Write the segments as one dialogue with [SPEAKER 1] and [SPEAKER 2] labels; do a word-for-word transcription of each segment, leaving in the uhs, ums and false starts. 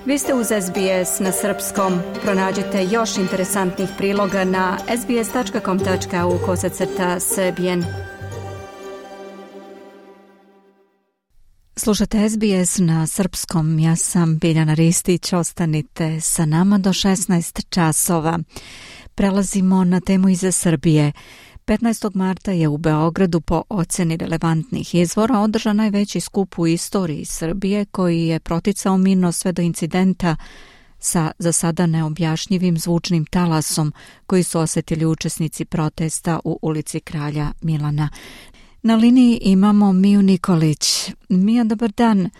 [SPEAKER 1] Vi ste uz S B S na srpskom. Pronađite još interesantnih priloga na sbs.com.au kosacrta srbijen. Slušate S B S na srpskom. Ja sam Biljana Ristić. Ostanite sa nama do šesnaest časova. Prelazimo na temu iz Srbije. petnaestog marta je u Beogradu po oceni relevantnih izvora održan najveći skup u istoriji Srbije koji je proticao mirno sve do incidenta sa za sada neobjašnjivim zvučnim talasom koji su osjetili učesnici protesta u ulici Kralja Milana. Na liniji imamo Miju Nikolić. Mija, dobar dan.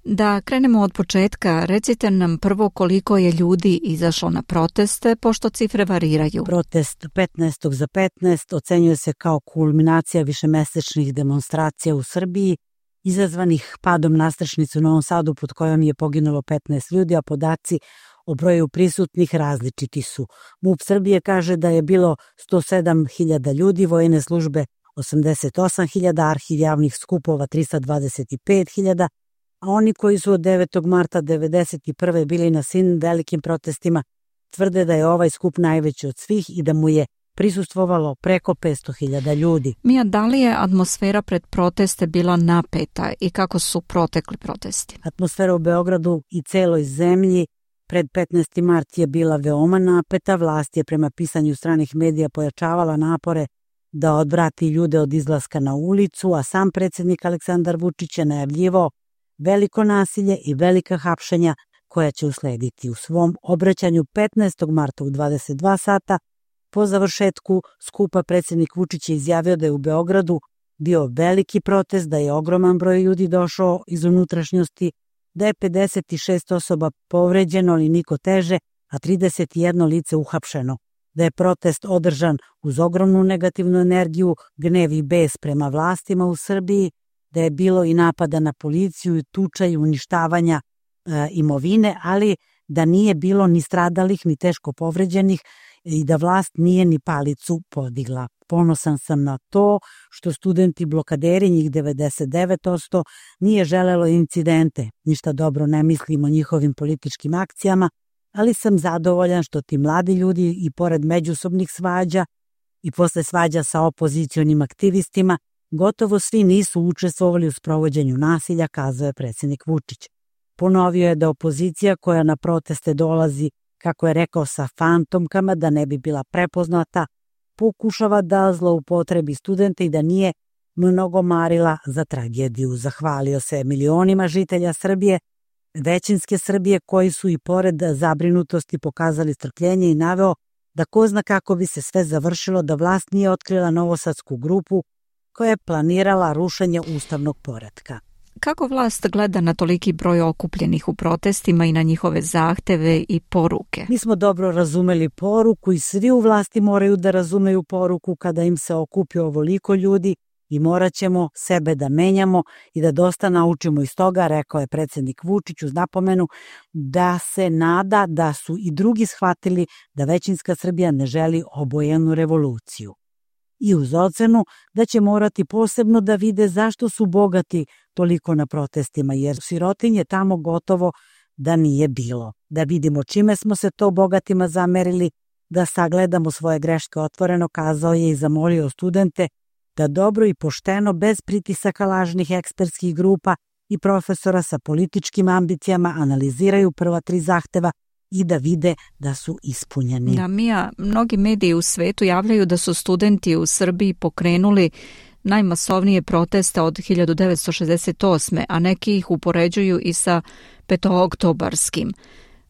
[SPEAKER 1] Da krenemo od početka, recite nam prvo koliko je ljudi izašlo na proteste, pošto cifre variraju.
[SPEAKER 2] Protest petnaestog za petnaest ocenjuje se kao kulminacija višemesečnih demonstracija u Srbiji, izazvanih padom nastrešnice u Novom Sadu pod kojom je poginulo petnaest ljudi, a podaci o broju prisutnih različiti su. MUP Srbije kaže da je bilo sto sedam hiljada ljudi, vojne službe osamdeset osam hiljada, arhiv javnih skupova tristo dvadeset pet hiljada, a oni koji su od devetog marta devedeset prve bili na svim velikim protestima tvrde da je ovaj skup najveći od svih i da mu je prisustvovalo preko petsto hiljada ljudi.
[SPEAKER 1] Mija, da li je atmosfera pred proteste bila napeta i kako su protekli protesti?
[SPEAKER 2] Atmosfera u Beogradu i celoj zemlji pred petnaesti mart je bila veoma napeta. Vlast je prema pisanju stranih medija pojačavala napore da odvrati ljude od izlaska na ulicu, a sam predsjednik Aleksandar Vučić je najavljivao veliko nasilje i velika hapšenja koja će uslediti. U svom obraćanju petnaestog marta u dvadeset dva sata po završetku skupa predsjednik Vučić je izjavio da je u Beogradu bio veliki protest, da je ogroman broj ljudi došao iz unutrašnjosti, da je pedeset šest osoba povređeno ali niko teže, a trideset jedno lice uhapšeno, da je protest održan uz ogromnu negativnu energiju, gnev i bes prema vlastima u Srbiji, da je bilo i napada na policiju i tuča i uništavanja e, imovine, ali da nije bilo ni stradalih ni teško povređenih i da vlast nije ni palicu podigla. Ponosan sam na to što studenti blokaderi, njih devedeset devet posto, nije želelo incidente. Ništa dobro ne mislim o njihovim političkim akcijama, ali sam zadovoljan što ti mladi ljudi i pored međusobnih svađa i posle svađa sa opozicionim aktivistima gotovo svi nisu učestvovali u sprovođenju nasilja, kazao je predsjednik Vučić. Ponovio je da opozicija koja na proteste dolazi, kako je rekao, sa fantomkama da ne bi bila prepoznata, pokušava da zloupotrebi studente i da nije mnogo marila za tragediju. Zahvalio se milionima žitelja Srbije, većinske Srbije koji su i pored zabrinutosti pokazali strpljenje i naveo da ko zna kako bi se sve završilo da vlast nije otkrila novosadsku grupu koja je planirala rušenje ustavnog poretka.
[SPEAKER 1] Kako vlast gleda na toliki broj okupljenih u protestima i na njihove zahteve i poruke?
[SPEAKER 2] Mi smo dobro razumeli poruku i svi u vlasti moraju da razumeju poruku kada im se okupi ovoliko ljudi i morat ćemo sebe da menjamo i da dosta naučimo iz toga, rekao je predsjednik Vučić uz napomenu da se nada da su i drugi shvatili da većinska Srbija ne želi obojenu revoluciju. I uz ocenu da će morati posebno da vide zašto su bogati toliko na protestima, jer sirotinje tamo gotovo da nije bilo. Da vidimo čime smo se to bogatima zamerili, da sagledamo svoje greške otvoreno, kazao je i zamolio studente da dobro i pošteno, bez pritisaka lažnih ekspertskih grupa i profesora sa političkim ambicijama analiziraju prva tri zahteva i da vide da su ispunjeni.
[SPEAKER 1] Da, Mija, mnogi mediji u svetu javljaju da su studenti u Srbiji pokrenuli najmasovnije proteste od hiljadu devetsto šezdeset osme, a neki ih upoređuju i sa petooktobarskim.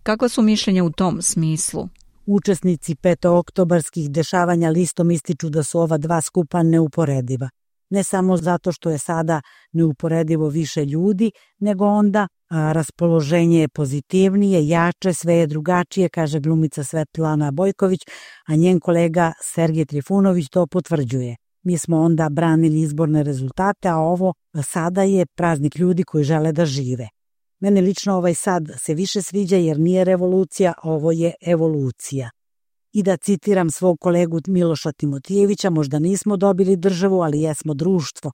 [SPEAKER 1] Kakva su mišljenja u tom smislu?
[SPEAKER 2] Učesnici petooktobarskih dešavanja listom ističu da su ova dva skupa neuporediva. Ne samo zato što je sada neuporedivo više ljudi, nego onda a, raspoloženje je pozitivnije, jače, sve je drugačije, kaže glumica Svetlana Bojković, a njen kolega Sergej Trifunović to potvrđuje. Mi smo onda branili izborne rezultate, a ovo sada je praznik ljudi koji žele da žive. Mene lično ovaj sad se više sviđa jer nije revolucija, ovo je evolucija. I da citiram svog kolegu Miloša Timotijevića, možda nismo dobili državu, ali jesmo društvo.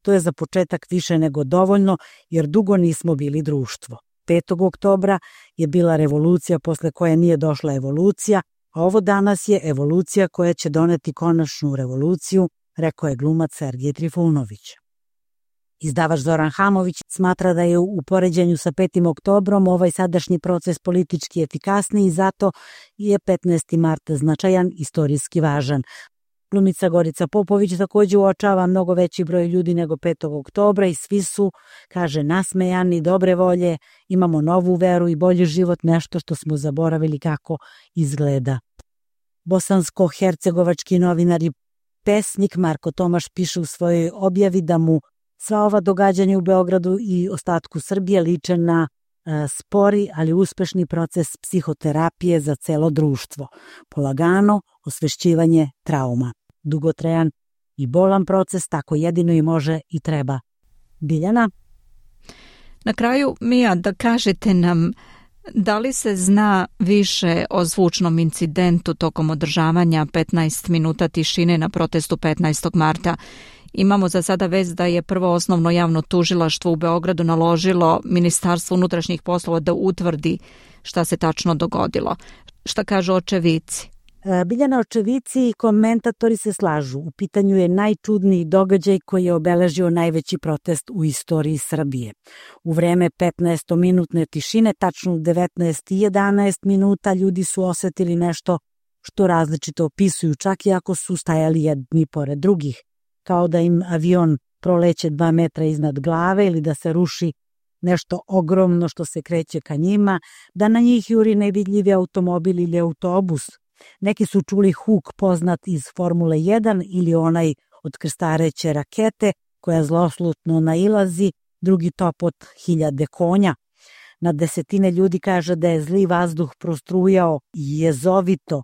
[SPEAKER 2] To je za početak više nego dovoljno, jer dugo nismo bili društvo. petog oktobra je bila revolucija posle koje nije došla evolucija, a ovo danas je evolucija koja će doneti konačnu revoluciju, rekao je glumac Sergej Trifunović. Izdavač Zoran Hamović smatra da je u poređenju sa petim oktobrom ovaj sadašnji proces politički efikasniji i zato je petnaesti mart značajan, istorijski važan. Glumica Gorica Popović također uočava mnogo veći broj ljudi nego petog oktobra i svi su, kaže, nasmejani, dobre volje, imamo novu veru i bolji život, nešto što smo zaboravili kako izgleda. Bosansko-hercegovački novinar i pesnik Marko Tomaš piše u svojoj objavi da mu sva ova događanja u Beogradu i ostatku Srbije liče na e, spori, ali uspešni proces psihoterapije za celo društvo. Polagano osvešćivanje trauma. Dugotrajan i bolan proces, tako jedino i može i treba. Biljana?
[SPEAKER 1] Na kraju, Mija, da kažete nam da li se zna više o zvučnom incidentu tokom održavanja petnaest minuta tišine na protestu petnaestog marta? Imamo za sada vest da je prvo osnovno javno tužilaštvo u Beogradu naložilo Ministarstvu unutrašnjih poslova da utvrdi šta se tačno dogodilo. Šta kažu očevici?
[SPEAKER 2] Biljana, očevici i komentatori se slažu. U pitanju je najčudniji događaj koji je obeležio najveći protest u istoriji Srbije. U vreme petnaestominutne tišine, tačno u devetnaest i jedanaest minuta, ljudi su osetili nešto što različito opisuju, čak i ako su stajali jedni pored drugih. Kao da im avion proleće dva metra iznad glave ili da se ruši nešto ogromno što se kreće ka njima, da na njih juri nevidljivi automobil ili autobus. Neki su čuli huk poznat iz Formule jedan ili onaj od krstareće rakete koja zloslutno nailazi, drugi top od hiljade konja. Na desetine ljudi kaže da je zli vazduh prostrujao jezovito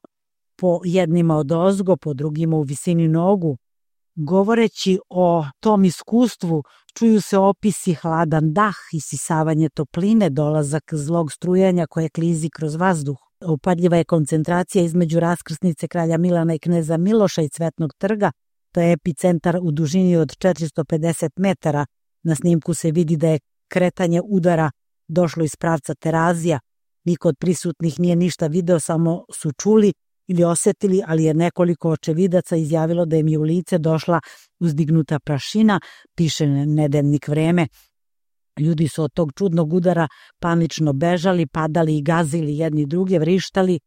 [SPEAKER 2] po jednima od ozgo, po drugima u visini nogu. Govoreći o tom iskustvu, čuju se opisi hladan dah, isisavanje topline, dolazak zlog strujanja koje klizi kroz vazduh. Upadljiva je koncentracija između raskrsnice kralja Milana i kneza Miloša i Cvetnog trga. To je epicentar u dužini od četiristo pedeset metara. Na snimku se vidi da je kretanje udara došlo iz pravca Terazija. Niko od prisutnih nije ništa video, samo su čuli ili osetili, ali je nekoliko očevidaca izjavilo da im je u lice došla uzdignuta prašina, piše nedeljnik Vreme. Ljudi su od tog čudnog udara panično bežali, padali i gazili jedni druge, vrištali,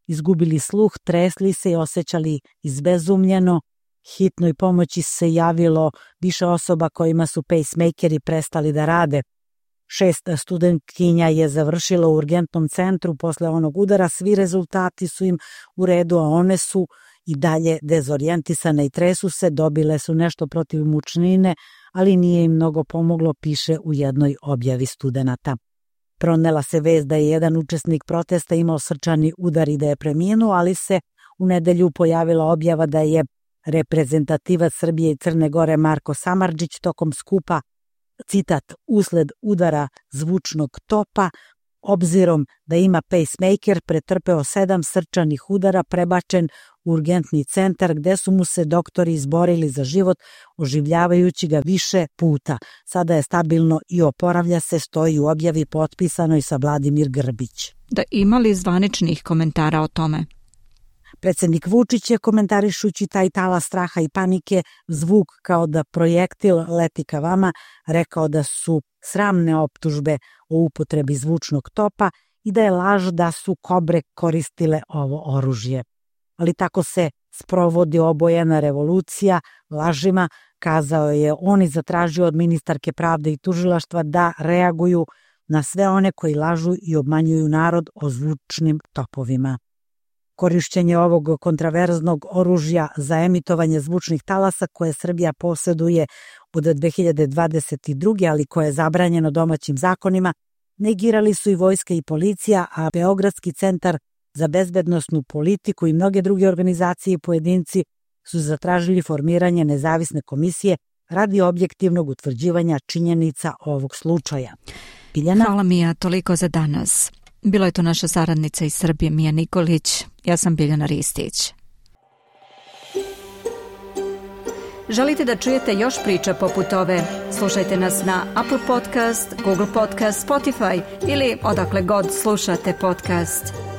[SPEAKER 2] izgubili sluh, tresli se i osjećali izbezumljeno. Hitnoj pomoći se javilo više osoba kojima su pacemakeri prestali da rade. Šest studentkinja je završilo u urgentnom centru posle onog udara, svi rezultati su im u redu, a one su i dalje dezorijentisane i tresu se, dobile su nešto protiv mučnine, ali nije im mnogo pomoglo, piše u jednoj objavi studenata. Pronela se vest da je jedan učesnik protesta imao srčani udar i da je preminuo, ali se u nedelju pojavila objava da je reprezentativac Srbije i Crne Gore Marko Samardžić tokom skupa, citat, usled udara zvučnog topa, obzirom da ima pacemaker, pretrpeo sedam srčanih udara, prebačen u urgentni centar gde su mu se doktori izborili za život, oživljavajući ga više puta. Sada je stabilno i oporavlja se, stoji u objavi potpisanoj sa Vladimir Grbić.
[SPEAKER 1] Da ima li zvaničnih komentara o tome?
[SPEAKER 2] Predsjednik Vučić je, komentarišući taj talas straha i panike, zvuk kao da projektil leti ka vama, rekao da su sramne optužbe o upotrebi zvučnog topa i da je laž da su kobre koristile ovo oružje. Ali tako se sprovodi obojena revolucija lažima, kazao je on i zatražio od ministarke pravde i tužilaštva da reaguju na sve one koji lažu i obmanjuju narod o zvučnim topovima. Korišćenje ovog kontraverznog oružja za emitovanje zvučnih talasa koje Srbija posjeduje od dve hiljade dvadeset druge. ali koje je zabranjeno domaćim zakonima, negirali su i vojska i policija, a Beogradski centar za bezbednosnu politiku i mnoge druge organizacije i pojedinci su zatražili formiranje nezavisne komisije radi objektivnog utvrđivanja činjenica ovog slučaja. Biljana?
[SPEAKER 1] Hvala Mija, toliko za danas. Bilo je to naša saradnica iz Srbije Mija Nikolić, ja sam Biljana Ristić. Želite da čujete još priča poput ove? Slušajte nas na Apple Podcast, Google Podcast, Spotify ili odakle god slušate podcast.